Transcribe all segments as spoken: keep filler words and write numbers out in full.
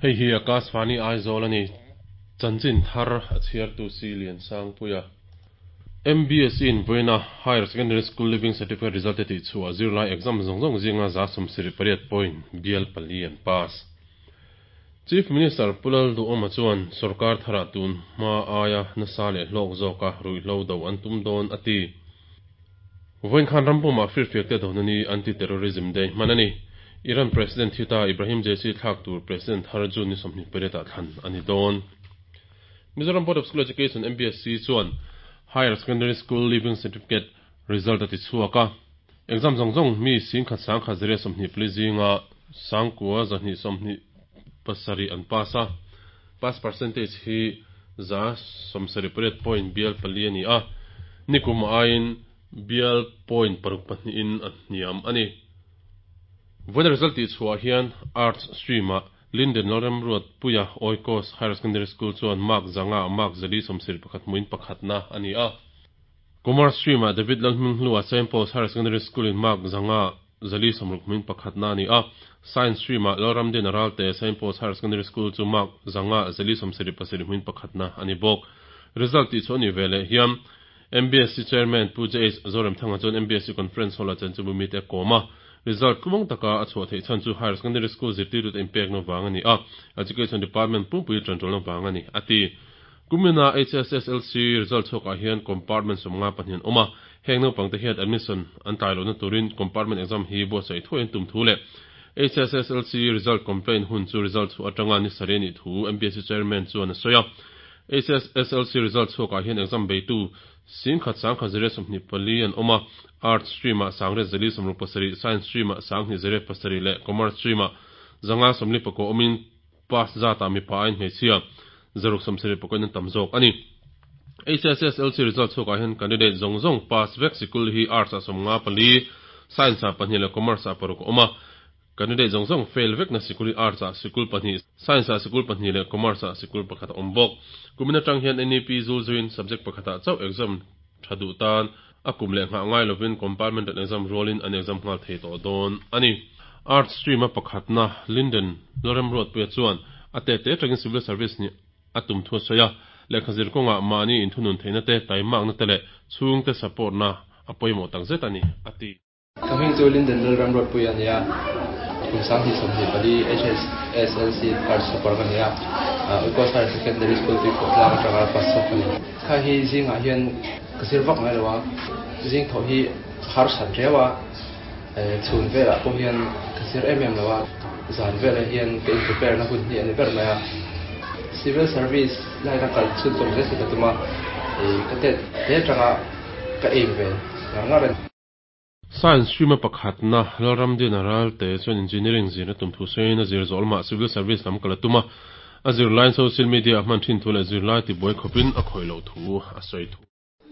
Hei hi Akashvani Aizawl a ni. Chanchin thar a chhiartu si Liansangpuia. M B S in vawiina Higher Secondary School Leaving Certificate result te tih chhuah zirlai exam zawng zawng zinga za sawmsarih pariat point bial pali an pass. Chief Minister Pu Lalduhoma chuan sorkar tharah tun hma aia nasa leh hlawk zawka ruihhlo do an tum dawn a ti. Vawiin khan rampumah firfiak te dona ni, Anti Terrorism Day hman a ni. Iran President thita Ibrahim Raisi thlak tur President thar June ni sawmhnih pariatah thlan a ni dawn. Mizoram Board of School Education, M B S E chuan Higher Secondary School Leaving Certificate result a ti chhuak a. Exam zawng zawng mi singkhat sangkhat zariat sawmhnih pali zinga sangkua zahnih sawmhnih pasarih an pass a. Pass percentage hi za sawmsarih pariat point bial pali a ni a. Nikum aiin bial point paruk pahnihin a hniam a ni. Vawiin result ti chhuah hian Arts stream-ah Linden Lalremruatpuia, Oikos Higher Secondary School chuan mark zanga mark zali sawmsarih pakhat hmuin pakhatna a ni a. Commerce stream-ah David Lalhminghlua, Saint Paul's Higher Secondary School in mark zanga zali sawmruk hmuin pakhatna a ni a. Science stream-ah Lalramdin Ralte, Saint Paul's Higher Secondary School chu mark zanga zali sawmsarih pasarih hmuin pakhatna a ni bawk. Result ti chu ani vele hian M B S E Chairman Pu J H Zoramthanga chuan M B S E Conference Hall-ah chan chu mi te kawma. Result tluang taka a chhuah theih chhan chu Higher Secondary School zirtirtu te inpek na wang ani a, Education Department pumpui tantul na wang ani ati. Kumina H S S L C result chhuakah hian compartment sawmnga pahnih an awm a. Heng naupang te hian admission an tlai lohna turin compartment exam hi buatsaih thuai an tum thu leh H S S L C result complaint hun chu result chu atanga ni sarih ani thu M B S E Chairman chuan a sawi a. H S S L C result chhuakah hian exam beitu singkhat sangkhat zariat sawmhnih pali an awm a. Arts stream-ah sangriat zali sawmruk pasarih, Science stream-ah sanghnih zariat pasarih leh Commerce stream-ah zanga sawmli pakua awmin pass zatah mipa aiin hmeichhia zaruk sawmsarih pakuain an tam zawk ani. H S S L C result chhuakah hian candidate zawng zawng pass vek sikul hi Arts ah sawmnga pali, Science ah pahnih leh Commerce ah paruk a awm a. Candidate zawng zawng fail vek na sikul hi Arts ah sikul pahnih, Science ah sikul pahnih leh Commerce ah sikul pakhat a awm bawk. Kumin atang hian N E P zul zuin subject pakhatah chauh exam tha duh tan a kum leh nghah ngai lovin compartmental exam rualin an exam nghal thei tawh dawn ani. Arts stream a pakhatna Linden Lalremruatpuia chuan a te te tangin civil service ni a tum thu a sawi a. Lehkha zir kawnga mahni inthunun theihna te, taimakna te leh chhungte support na a pawimawh tak zet ani a ti. Ka hming chu Linden Lalremruatpuia ani a. Kum sanghnih sawmhnih pali, H S S L C Arts topper ka ni a. Oikos Higher Secondary School Tuikhuahtlang atanga pass chhuak ka ni. Kha hi zingah hian ka zir vak ngai lo a. Zing thaw hi har sat riau a. Chhun velah pawh hian ka zir em em lo a. Zan velah hian ka in prepare na hun hi ani ber mai a. Civil service line a kal chhun zawm zel hi ka tum a. Ka tet te atanga ka aim ve ngar ngar ani. Science stream a pakhatna Lalramdin Ralte chuan engineering zir a tum thu sawiin a zir zawh lamah civil service lam kal a tum a. A zirlai social media a hman thin thu leh zirlai ti buai khawpin a khawih loh thu a sawi thu.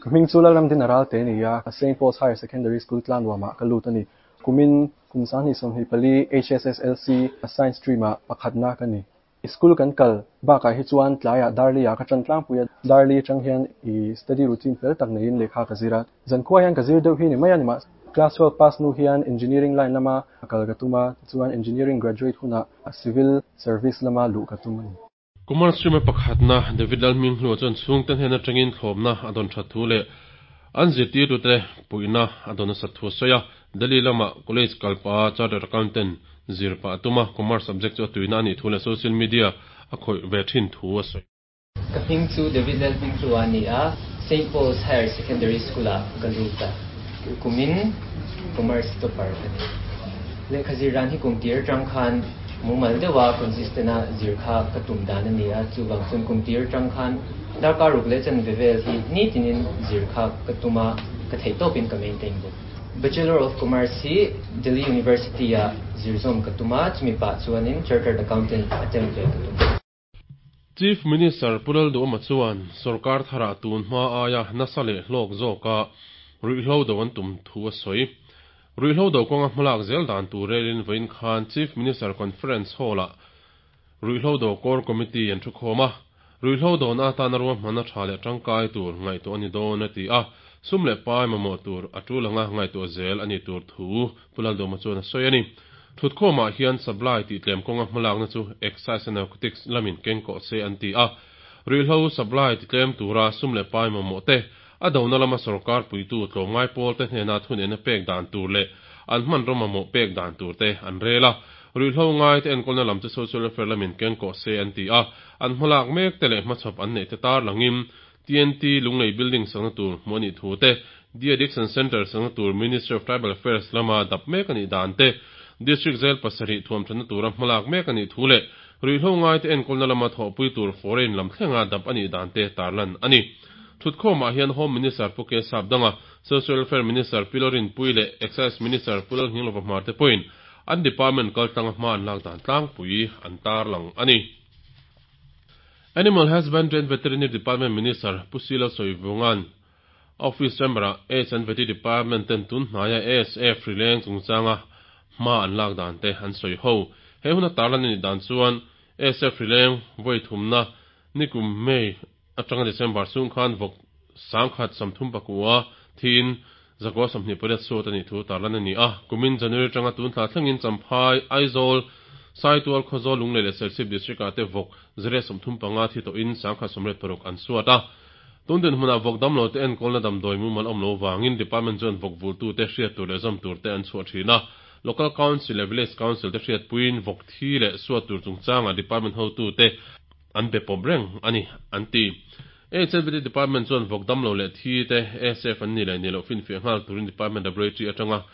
Ka hming chu Lalramdin Ralte ni a. Saint Paul's Higher Secondary School Tlangnuamah ka lut ani. Kumin kum sanghnih sawmhnih pali, H S S L C Science stream-ah pakhatna ka ni. School kan kal bakah hi chuan tlaiah darli ah ka tran tlangpui a. Darli atang hian i study routine fel tak neiin lehkha ka zir a. Zan khuah hian ka zir deuh hi ni mai ani ma. Class twelve pass nu hian engineering line lama kal ka tum a, chuan engineering graduate hunah civil service lama luh ka tum ani. Commerce stream a pakhatna David Lalhminghlua chuan chhungte hnen atangin thlawpna a dawn that thu leh an zirtirtu te puihna a dawn a sat thu a sawi a. Delhi lama college kalpa chartered accountant zir pa atuma commerce subject chu a tuina ani thu leh social media a khawih ve thin thu a sawi. Ka hming chu David Lalhminghlua ani a. Saint Paul's Higher Secondary School ah ka lut a. Kumin Commerce topper ka ni. Lehkha zir ran hi kum tir tang khan mumal deuha consistent a zir kha ka tum dan ani a. Chuwang chun kum tir tang khan darkar ruk le chan vevel hi ni tinin zir kha ka tuma ka thei topin ka maintain bawk. Bachelor of Commerce hi Delhi University a zirzawm ka tuma, chumi pa chuanin Chartered Accountant attempt ve ka tum. Chief Minister Pu Lalduhoma chuan sarkar thara tun hma aia nasa leh hlawk zawka ruihhlo do an tum thu a sawi. Ruihhlo do kawnga hmalak zel dan tur relin vawiin khan Chief Minister Conference Hall-ah ruihhlo do core committee an thu khawm a. Ruihhlo do na atana ruahmanna tha leh tangkai tur ngaihtuah ani dawn a ti a. Sum leh pai mamawh tur a tulanga ngaihtuah zel ani tur thu Pu Lalduhoma chuan a sawi ani. Thutkhawmah hian supply tihtlem kawnga hmalakna chu Excise and Narcotics lamin kengkawh se an ti a. Ruihhlo supply titlem tura sum leh pai mamawh te, a dona lama sorkar puitu tlawmngai pawl te hnena thunena pek dan tur leh an hmanraw mamawh pek dan tur te an rel a. Ruihhlo ngai te enkawlna lam chu Social Welfare lamin kengkawh se an ti a. An hmalak mek te leh hmachhawp an neih te tarlangin T N T Lunglei Building sakna tur hmuh a nih thu te, De-Addiction Centre sakna tur Ministry of Tribal Affairs lama dap mek a nih dan te, District Jail pasarih thuamthatna tura hmalak mek a nih thu leh ruihhlo ngai te enkawlna lama thawhpui tur foreign lam thlenga dap a nih dan te tarlan a ni. Thutkhawmah hian Home Minister Pu K Sapdanga, Social Welfare Minister Pi Lorinpui leh Excise Minister Pu Lalnghinglova Hmar te pawhin an department kaltlanga hma an lak dan tlangpui an tarlang a ni. Animal Husbandry and Veterinary Department Minister Pu Silo Sawivungan Office Chamber-ah Aids and Vety Department ten tun hnaia A S F rileng chungchanga hma an lak dan te an sawi ho. He hun a tarlan a nih dan chuan A S F rileng vawi thumna nikum May atanga December chhung khan vawk sangkhat sawmthum pakua thin zakua sawmhnih pariat suat a nih thu tarlan a ni a. Kumin January atanga tun thla thlengin Champhai, Aizawl, Saitual, Khawzawl, Lunglei leh Serchhip District ah te vawk zariat sawmthum panga thi tawhin sangkhat sawmriat paruk an suat a. Tun dinhmunah vawk damlo te enkawlna damdawi mumal awm lo vangin department chuan vawk vultu te hriat tur leh zawm tur te an chhuah thin a. Local Council leh Village Council te hriat puiin vawk thi leh suat tur chungchanga department hotu te an be pawp reng a ni an ti. H L V T Department chuan vawk damlo leh thi te A S F an ni leh ni loh finfiah nghal turin department laboratory atanga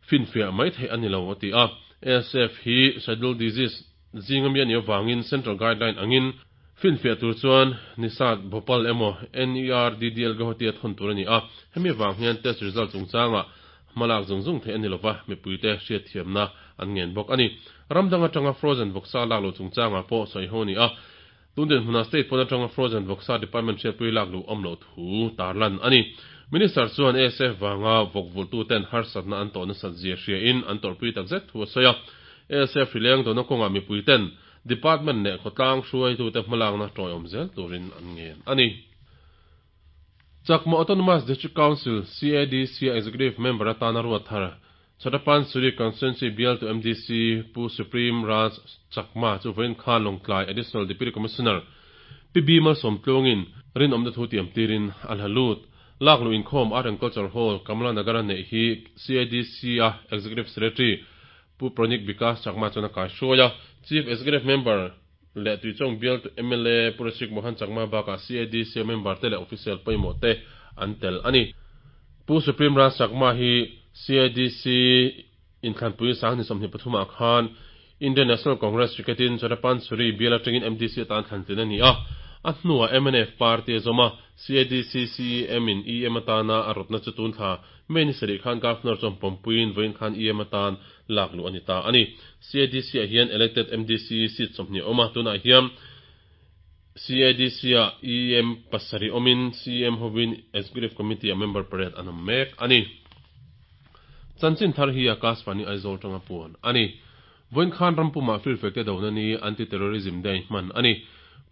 finfiah mai theih a ni lo a ti a. A S F hi scheduled disease zinga mi a nih avangin central guideline angin finfiah tur chuan Nisat Bhopal emaw N E R D D L Guwahati a thawn tur a ni a. Hemi avang hian test result chungchanga hmalak zung zung theih a ni lova, mipuite hriat thiamna an ngen bawk a ni. Ramdang atanga frozen vawksa lak lo chungchanga pawh sawi ho a ni a. Tun dinhmunah state pawn atanga frozen vawksa department hriatpui lak luh awm loh thu tarlan a ni. Minister chuan A S F vanga vawk vultu ten harsatna an tawhna sat zia hriain an tawrhpui takzet thu a sawi a. A S F rileng dawhna kawngah mipui ten department leh khawtlang hruaitu te hmalakna tawiawm zel turin an ngen a ni. Chakma Autonomous District Council C A D C Executive Member atana ruat thar Chhatapansuri Constituency Bial to M D C Pu Supreme Raj Chakma chu vawiin khan Lawngtlai Additional Deputy Commissioner P B Malsawmtluangin rinawmna thu tiam tirin a hla lut. Lak lu inkhawm Art and Culture Hall Kamla Nagara neih hi C A D C a Executive Secretary Pu Pranik Vikas Chakma chuan a kai hruai a. Chief Executive Member leh Tuichawng Bial to M L A Pu Rashik Mohan Chakma bakah C A D C member te leh official pawimawh te an tel a ni. Pu Supreme Raj Chakma hi C A D C inthlanpui sang ni sawmhnih pathumah khan Indian National Congress cricketin Chhatapansuri Bial atangin M D C atan thlantlin a ni a. A hnuah M N F party a zawm a. C A D C C E M in E M atana a rawtna chu tun thla May ni sarih khan Governor chuan pawmpuiin vawiin khan E M atan lak luh a ni ta a ni. C A D C ah hian elected M D C seat sawmhnih a awm a. Tunah hian C A D C ah E M pasarih awmin C E M hovin Executive Committee a member pariat an awm mek a ni. Chanchin thar hi Akashvani Aizawl tanga puan a ni. Vawiin khan rampumah firfek te dona ni Anti-Terrorism Day hman a ni.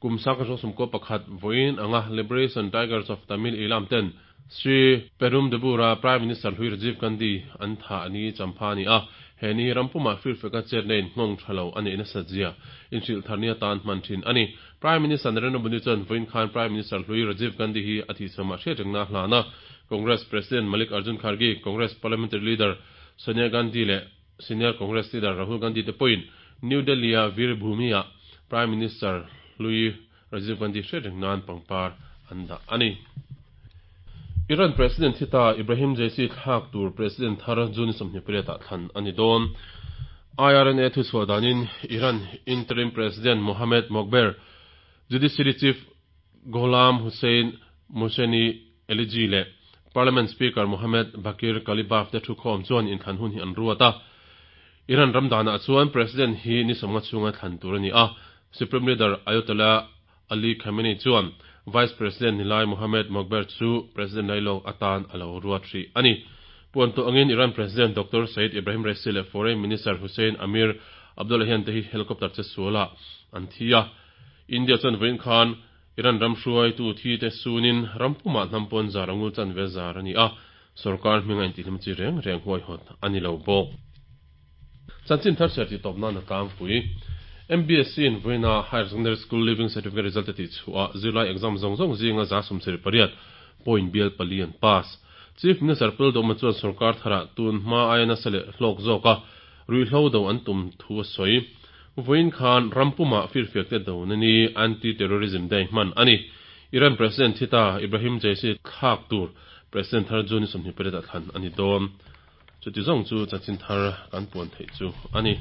Kum sangkhat rawng sawmkaw pakhat vawiin anga Liberation Tigers of Tamil Eelam ten Sri Perumdabura Prime Minister hlui Rajiv Gandhi an tha a ni champha a ni a. He ni rampumah firfeka chetna in nghawng tha lo a neih nasa zia inhrilh thar ni atan hman thin a ni. Prime Minister Narendra Modi chuan vawiin khan Prime Minister hlui Rajiv Gandhi hi a thihchhamah hriat rengna a hlana. Congress President Malik Arjun Kharge, Congress Parliamentary Leader Sonia Gandhi leh Senior Congress Leader Rahul Gandhi te pawhin New Delhi-a Veer Bhumi-ah Prime Minister hlui Rajiv Gandhi hriat reng nan pangpar an dah a ni. Iran President hita Ibrahim Raisi thlak tur President thar June sawmhnih pariatah thlan a ni dawn. I R N A thu chhuah danin Iran Interim President Mohammad Mokhber, Judiciary Chief Gholam Hussein Mohseni Ejei leh Parliament Speaker Mohammad Bakir Qalibaf te thu khawm chuan inthlan hun hi an ruat a. Iran ramdanah chuan President hi ni sawmnga chhunga thlan tur a ni a. Supreme Leader Ayatollah Ali Khamenei chuan Vice President Nilai Mohammad Mokhber chu President Lailong atan a lo ruat ri a ni. Puan tawh angin Iran President Doctor Said Ibrahim Raisi leh Foreign Minister Hussein Amir Abdollahian te hi helicopter che suala an thi a. India chuan vawiin khan Iran ram hruaitu thi te sunin rampumah hnampawn zar angul chan ve zar a ni a. Sarkar hminga intihlim chi reng reng huai hawt a ni lo bawk. Chanchin thar chhiar tih tawp nan a tlangpui. MBSE in vawiina Higher Secondary School Leaving Certificate result a tih chhuah ah zirlai exam zawng zawng zinga za sawmsarih pariat point bial pali an pass. Chief Minister Pu Lalduhoma chuan sorkar tharah tun hma aia nasa leh hlawk zawka ruihhlo do an tum thu a sawi. Vawiin khan ram pumah firfiak te dona ni Anti-Terrorism Day hman a ni. Iran President thi ta Ibrahim Jaisi thlak tur President thar June ni sawmhnih pariat ah thlan a ni dawn. Chuti zawng chu chanchin thar kan puan theih chu a ni.